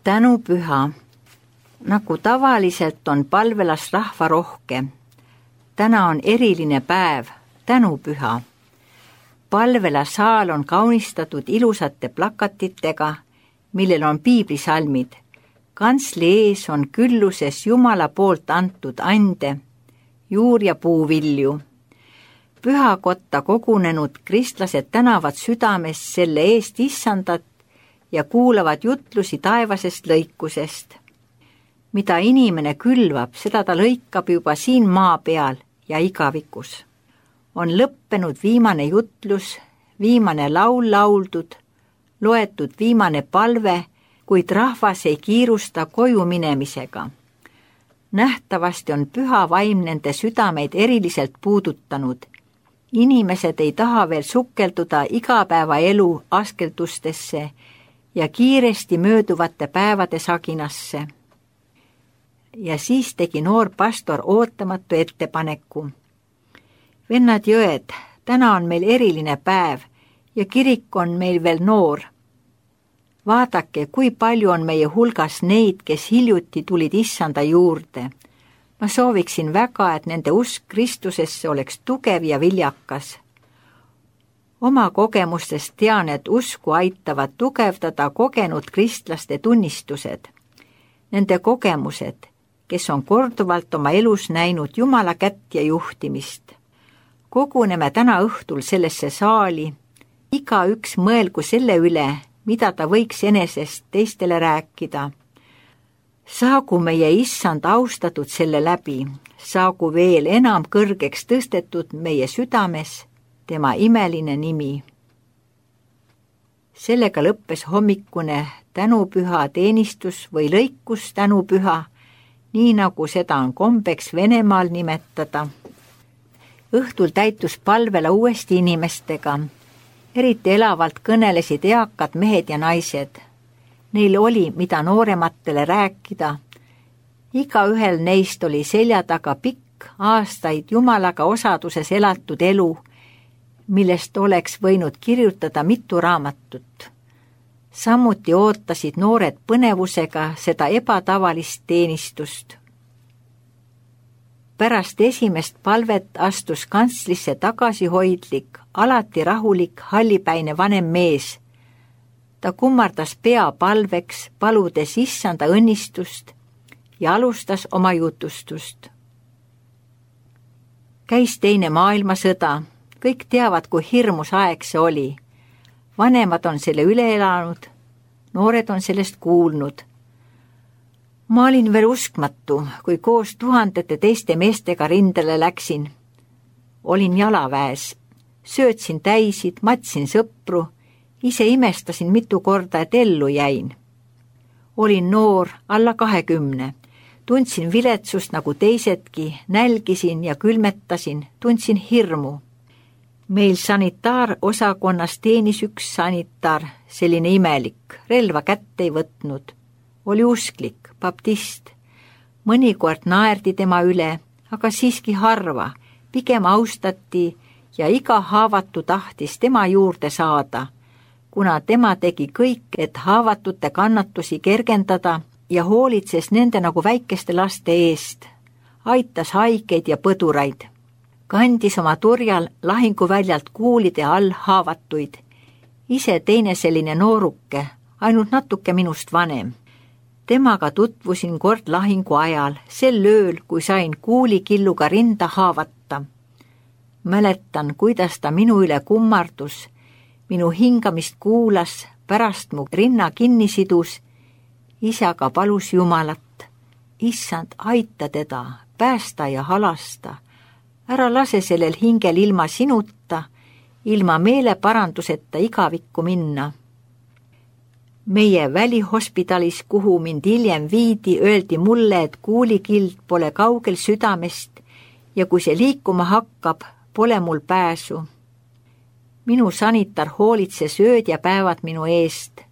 Tänupüha. Nagu tavaliselt on palvelas rahvarohke. Täna on eriline päev, tänupüha. Palvelasaal on kaunistatud ilusate plakatitega, millel on piiblisalmid. Kantsli ees on külluses Jumala poolt antud ande, juur- ja puuvilju. Pühakotta kogunenud kristlased tänavad südames selle eest issandat ja kuulavad jutlusi taevasest lõikusest. Mida inimene külvab, seda ta lõikab juba siin maa peal ja igavikus. On lõppenud viimane jutlus, viimane laul lauldud, loetud viimane palve, kuid rahvas ei kiirusta koju minemisega. Nähtavasti on püha vaim nende südameid eriliselt puudutanud. Inimesed ei taha veel sukelduda igapäevaelu askeldustesse ja kiiresti mööduvate päevade saginasse. Ja siis tegi noor pastor ootamatu ettepaneku. Vennad jõed, täna on meil eriline päev ja kirik on meil veel noor. Vaadake, kui palju on meie hulgas neid, kes hiljuti tulid issanda juurde. Ma sooviksin väga, et nende usk Kristusesse oleks tugev ja viljakas. Oma kogemustest tean, et usku aitavad tugevdada kogenud kristlaste tunnistused. Nende kogemused, kes on korduvalt oma elus näinud Jumala kätt ja juhtimist. Koguneme täna õhtul sellesse saali, igaüks mõelgu selle üle, mida ta võiks enesest teistele rääkida. Saagu meie issand austatud selle läbi, saagu veel enam kõrgeks tõstetud meie südames tema imeline nimi. Sellega lõppes hommikune tänupüha teenistus või lõikus tänupüha, nii nagu seda on kombeks Venemaal nimetada. Õhtul täitus palvela uuesti inimestega. Eriti elavalt kõnelesid eakad mehed ja naised. Neil oli, mida noorematele rääkida. Igaühel neist oli selja taga pikk, aastaid Jumalaga osaduses elatud elu, millest oleks võinud kirjutada mitu raamatut. Samuti ootasid noored põnevusega seda ebatavalist teenistust. Pärast esimest palvet astus kantslisse tagasihoidlik, alati rahulik, hallipäine vanem mees. Ta kummardas pea palveks, paludes issanda õnnistust ja alustas oma jutustust. Käis teine maailmasõda, kõik teavad, kui hirmus aeg see oli. Vanemad on selle üle elanud, noored on sellest kuulnud. Ma olin veel uskmatu, kui koos tuhandete teiste meestega rindele läksin. Olin jalaväes, söötsin täisid, matsin sõpru, ise imestasin mitu korda, et ellu jäin. Olin noor, alla 20, tundsin viletsust nagu teisedki, nälgisin ja külmetasin, tundsin hirmu. Meil sanitaarosakonnas teenis üks sanitar, selline imelik, relva kätte ei võtnud. Oli usklik, baptist. Mõnikord naerdi tema üle, aga siiski harva, pigem austati ja iga haavatu tahtis tema juurde saada, kuna tema tegi kõik, et haavatute kannatusi kergendada ja hoolitses nende nagu väikeste laste eest, aitas haigeid ja põduraid. Kandis oma turjal lahinguväljalt kuulide all haavatuid. Ise teine selline nooruke, ainult natuke minust vanem. Temaga tutvusin kord lahingu ajal, sel ööl, kui sain kuulikilluga rinda haavata. Mäletan, kuidas ta minu üle kummardus, minu hingamist kuulas, pärast mu rinna kinni sidus, isaga palus Jumalat. Issand, aita teda, päästa ja halasta. Ära lase sellel hingel ilma sinuta, ilma meeleparanduseta igavikku minna. Meie välihospitalis, kuhu mind hiljem viidi, öeldi mulle, et kuulikild pole kaugel südamest ja kui see liikuma hakkab, pole mul pääsu. Minu sanitar hoolitses ööd ja päevad minu eest.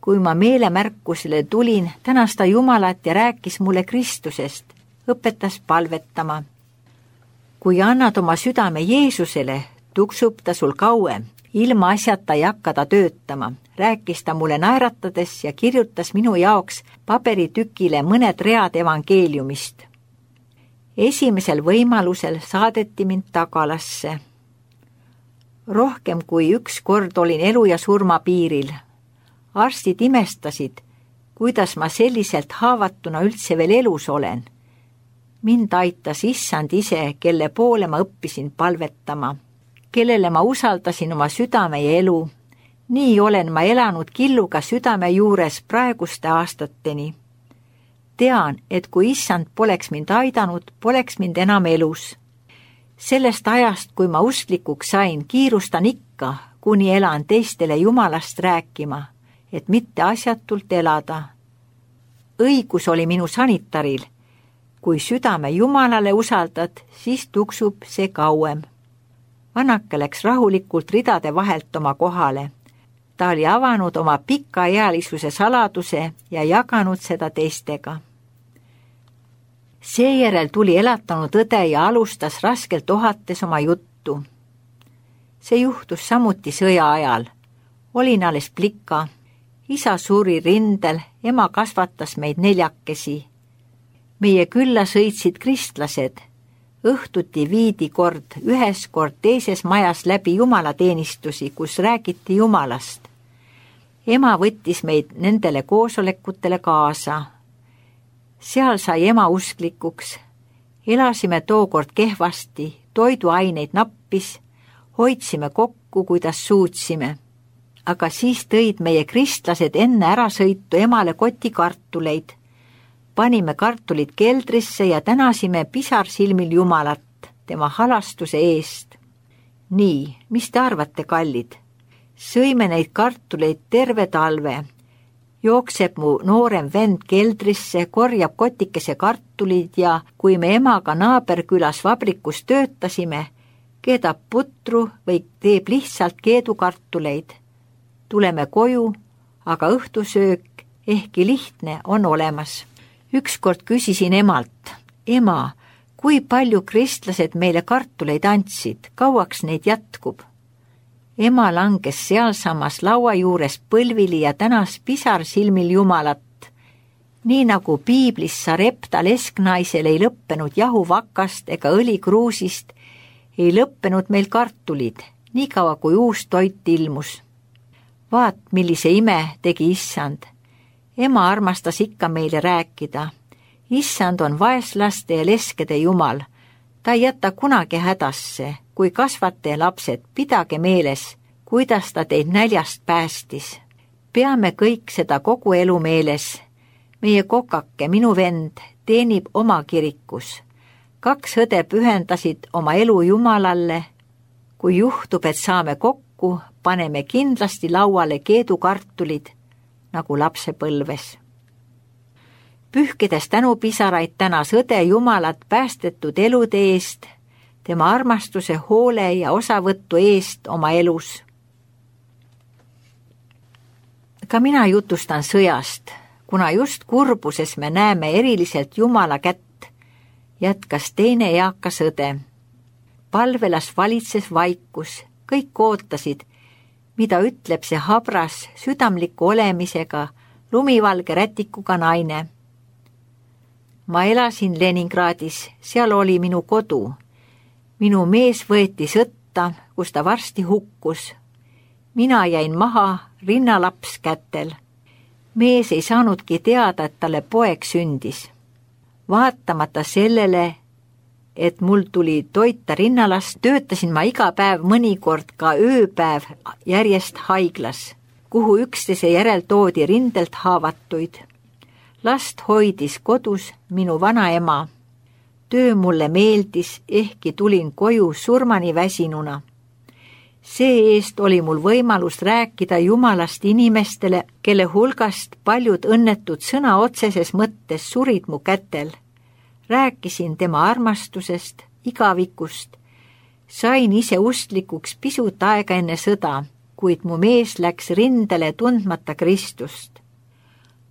Kui ma meelemärkusele tulin, tänas ta Jumalat ja rääkis mulle Kristusest, õpetas palvetama. Kui annad oma südame Jeesusele, tuksub ta sul kauem, Ilma asjata ei hakka ta töötama, rääkis ta mulle naeratades ja kirjutas minu jaoks paberitükile mõned read evangeeliumist. Esimesel võimalusel saadeti mind tagalasse. Rohkem kui üks kord olin elu ja surma piiril. Arstid imestasid, kuidas ma selliselt haavatuna üldse veel elus olen. Mind aitas Issand ise, kelle poole ma õppisin palvetama, kellele ma usaldasin oma südame ja elu. Nii olen ma elanud killuga südame juures praeguste aastateni. Tean, et kui Issand poleks mind aidanud, poleks mind enam elus. Sellest ajast, kui ma usklikuks sain, kiirustan ikka, kuni elan teistele Jumalast rääkima, et mitte asjatult elada. Õigus oli minu sanitaril. Kui südame Jumalale usaldad, siis tuksub see kauem. Vanake läks rahulikult ridade vahelt oma kohale. Ta oli avanud oma pikaealisuse saladuse ja jaganud seda teistega. Seejärel tuli elatanud õde ja alustas raskelt ohates oma juttu. See juhtus samuti sõja ajal. Olin alles plika. Isa suri rindel, ema kasvatas meid 4. Meie külla sõitsid kristlased. Õhtuti viidi kord ühes, kord teises majas läbi jumalateenistusi, kus räägiti Jumalast. Ema võttis meid nendele koosolekutele kaasa. Seal sai ema usklikuks. Elasime tookord kehvasti, toiduaineid nappis, hoidsime kokku, kuidas suutsime. Aga siis tõid meie kristlased enne ärasõitu emale koti kartuleid. Panime kartulid keldrisse ja tänasime pisarsilmil Jumalat, tema halastuse eest. Nii, mis te arvate, kallid? Sõime neid kartuleid terve talve. Jookseb mu noorem vend keldrisse, korjab kotikese kartulid ja kui me emaga naaberkülas vabrikus töötasime, keedab putru või teeb lihtsalt keedukartuleid. Tuleme koju, aga õhtusöök, ehkki lihtne, on olemas. Ükskord küsisin emalt, ema, kui palju kristlased meile kartuleid andsid, kauaks neid jätkub? Ema langes sealsamas laua juures põlvili ja tänas pisarsilmil Jumalat. Nii nagu piiblis Sarepta lesknaisel ei lõppenud jahuvakast ega õlikruusist, ei lõppenud meil kartulid, niikaua kui uus toit ilmus. Vaat, millise ime tegi Issand. Ema armastas ikka meile rääkida. Issand on vaeslaste ja leskede Jumal. Ta ei jäta kunagi hädasse. Kui kasvate lapsed, pidage meeles, kuidas ta teid näljast päästis. Peame kõik seda kogu elu meeles. Meie kokake, minu vend, teenib oma kirikus. 2 õde pühendasid oma elu Jumalalle. Kui juhtub, et saame kokku, paneme kindlasti lauale keedukartulid, nagu lapsepõlves. Pühkides tänupisaraid tänas õde Jumalat päästetud elude eest, tema armastuse, hoole ja osavõttu eest oma elus. Ka mina jutustan sõjast, kuna just kurbuses me näeme eriliselt Jumala kätt, jätkas teine eakas õde. Palvelas valitses vaikus, kõik ootasid, mida ütleb see habras, südamliku olemisega, lumivalge rätikuga naine. Ma elasin Leningradis, seal oli minu kodu. Minu mees võeti sõtta, kus ta varsti hukkus. Mina jäin maha, rinnalaps kätel. Mees ei saanudki teada, et talle poeg sündis. Vaatamata sellele, et mul tuli toita rinnalast, töötasin ma iga päev, mõnikord ka ööpäev järjest haiglas, kuhu üksteise järel toodi rindelt haavatuid. Last hoidis kodus minu vanaema. Töö mulle meeldis, ehkki tulin koju surmani väsinuna. See-eest oli mul võimalus rääkida Jumalast inimestele, kelle hulgast paljud õnnetud sõna otseses mõttes surid mu kätel. Rääkisin tema armastusest, igavikust. Sain ise usklikuks pisut aega enne sõda, kuid mu mees läks rindele tundmata Kristust.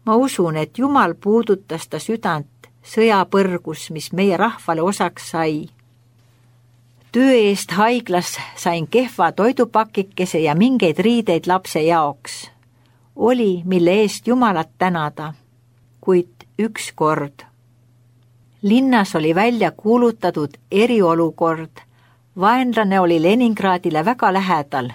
Ma usun, et Jumal puudutas ta südant sõjapõrgus, mis meie rahvale osaks sai. Töö eest haiglas sain kehva toidupakikese ja mingeid riideid lapse jaoks. Oli, mille eest Jumalat tänada, kuid ükskord. Linnas oli välja kuulutatud eriolukord. Vaenlane oli Leningradile väga lähedal.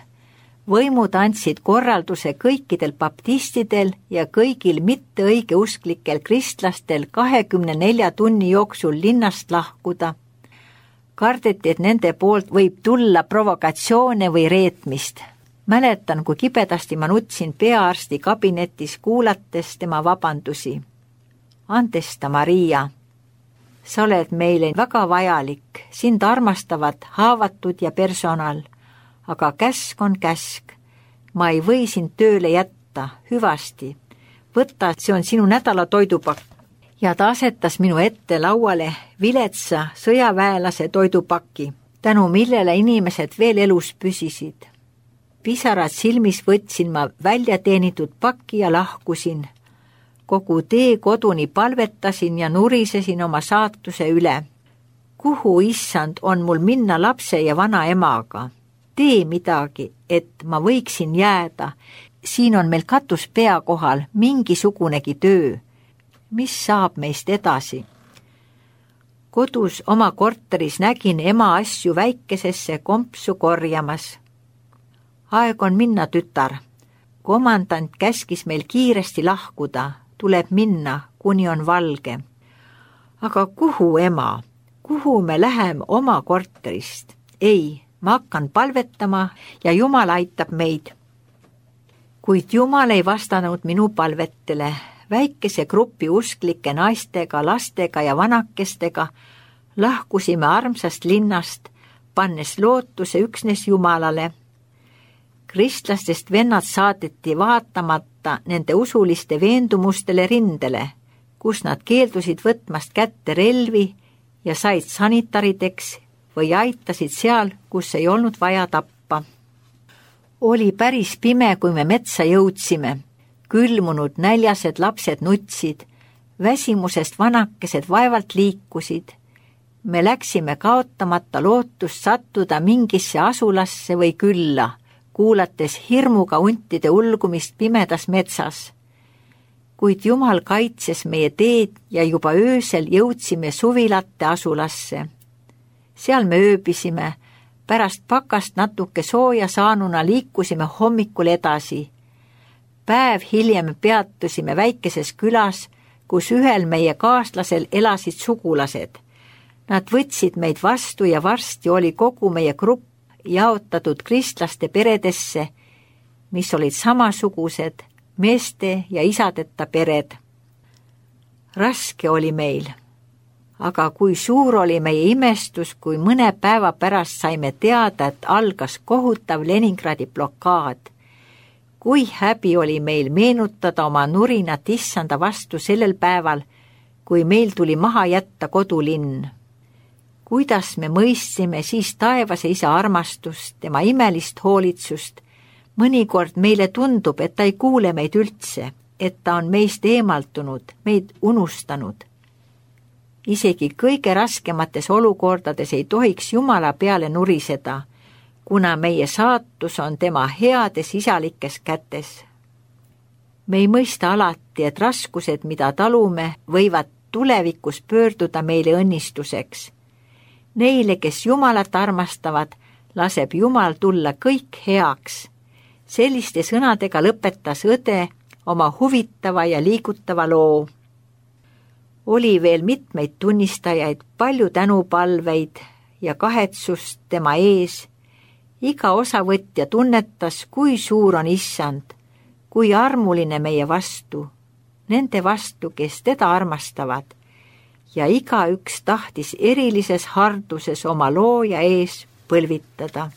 Võimud andsid korralduse kõikidel baptistidel ja kõigil mitteõigeusklikel kristlastel 24 tunni jooksul linnast lahkuda. Kardeti, et nende poolt võib tulla provokatsioone või reetmist. Mäletan, kui kibedasti ma nutsin peaarsti kabinetis, kuulates tema vabandusi. Andesta, Maria, sa oled meile väga vajalik, sind armastavad haavatud ja personal, aga käsk on käsk. Ma ei või sind tööle jätta, hüvasti. Võta, see on sinu nädala toidupakk. Ja ta asetas minu ette lauale viletsa sõjaväelase toidupaki, tänu millele inimesed veel elus püsisid. Pisarad silmis võtsin ma välja teenitud pakki ja lahkusin. Kogu tee koduni palvetasin ja nurisesin oma saatuse üle. Kuhu, issand, on mul minna lapse ja vana emaga? Tee midagi, et ma võiksin jääda. Siin on meil katus pea kohal, mingisugunegi töö. Mis saab meist edasi? Kodus oma korteris nägin ema asju väikesesse kompsu korjamas. Aeg on minna, tütar. Komandant käskis meil kiiresti lahkuda. Tuleb minna, kuni on valge. Aga kuhu, ema? Kuhu me läheme oma korterist? Ei, ma hakkan palvetama ja Jumal aitab meid. Kuid Jumal ei vastanud minu palvetele. Väikese grupi usklike naistega, lastega ja vanakestega lahkusime armsast linnast, pannes lootuse üksnes Jumalale. Kristlastest vennad saadeti vaatamata nende usuliste veendumustele rindele, kus nad keeldusid võtmast kätte relvi ja said sanitarideks või aitasid seal, kus ei olnud vaja tappa. Oli päris pime, kui me metsa jõudsime. Külmunud näljased lapsed nutsid, väsimusest vanakesed vaevalt liikusid. Me läksime kaotamata lootust sattuda mingisse asulasse või külla, kuulates hirmuga huntide ulgumist pimedas metsas. Kuid Jumal kaitses meie teed ja juba öösel jõudsime suvilate asulasse. Seal me ööbisime, pärast pakast natuke sooja saanuna liikusime hommikul edasi. Päev hiljem peatusime väikeses külas, kus ühel meie kaaslasel elasid sugulased. Nad võtsid meid vastu ja varsti oli kogu meie grupp jaotatud kristlaste peredesse, mis olid samasugused, meeste ja isadeta pered. Raske oli meil, aga kui suur oli meie imestus, kui mõne päeva pärast saime teada, et algas kohutav Leningradi blokaad. Kui häbi oli meil meenutada oma nurinat issanda vastu sellel päeval, kui meil tuli maha jätta kodulinn. Kuidas me mõistsime siis taevase isa armastust, tema imelist hoolitsust. Mõnikord meile tundub, et ta ei kuule meid üldse, et ta on meist eemaltunud, meid unustanud. Isegi kõige raskemates olukordades ei tohiks Jumala peale nuriseda, kuna meie saatus on tema heades isalikes kätes. Me ei mõista alati, et raskused, mida talume, võivad tulevikus pöörduda meile õnnistuseks. Neile, kes Jumalat armastavad, laseb Jumal tulla kõik heaks. Selliste sõnadega lõpetas õde oma huvitava ja liigutava loo. Oli veel mitmeid tunnistajaid, palju tänupalveid ja kahetsust tema ees. Iga osavõtja tunnetas, kui suur on issand, kui armuline meie vastu, nende vastu, kes teda armastavad, ja igaüks tahtis erilises harduses oma looja ees põlvitada.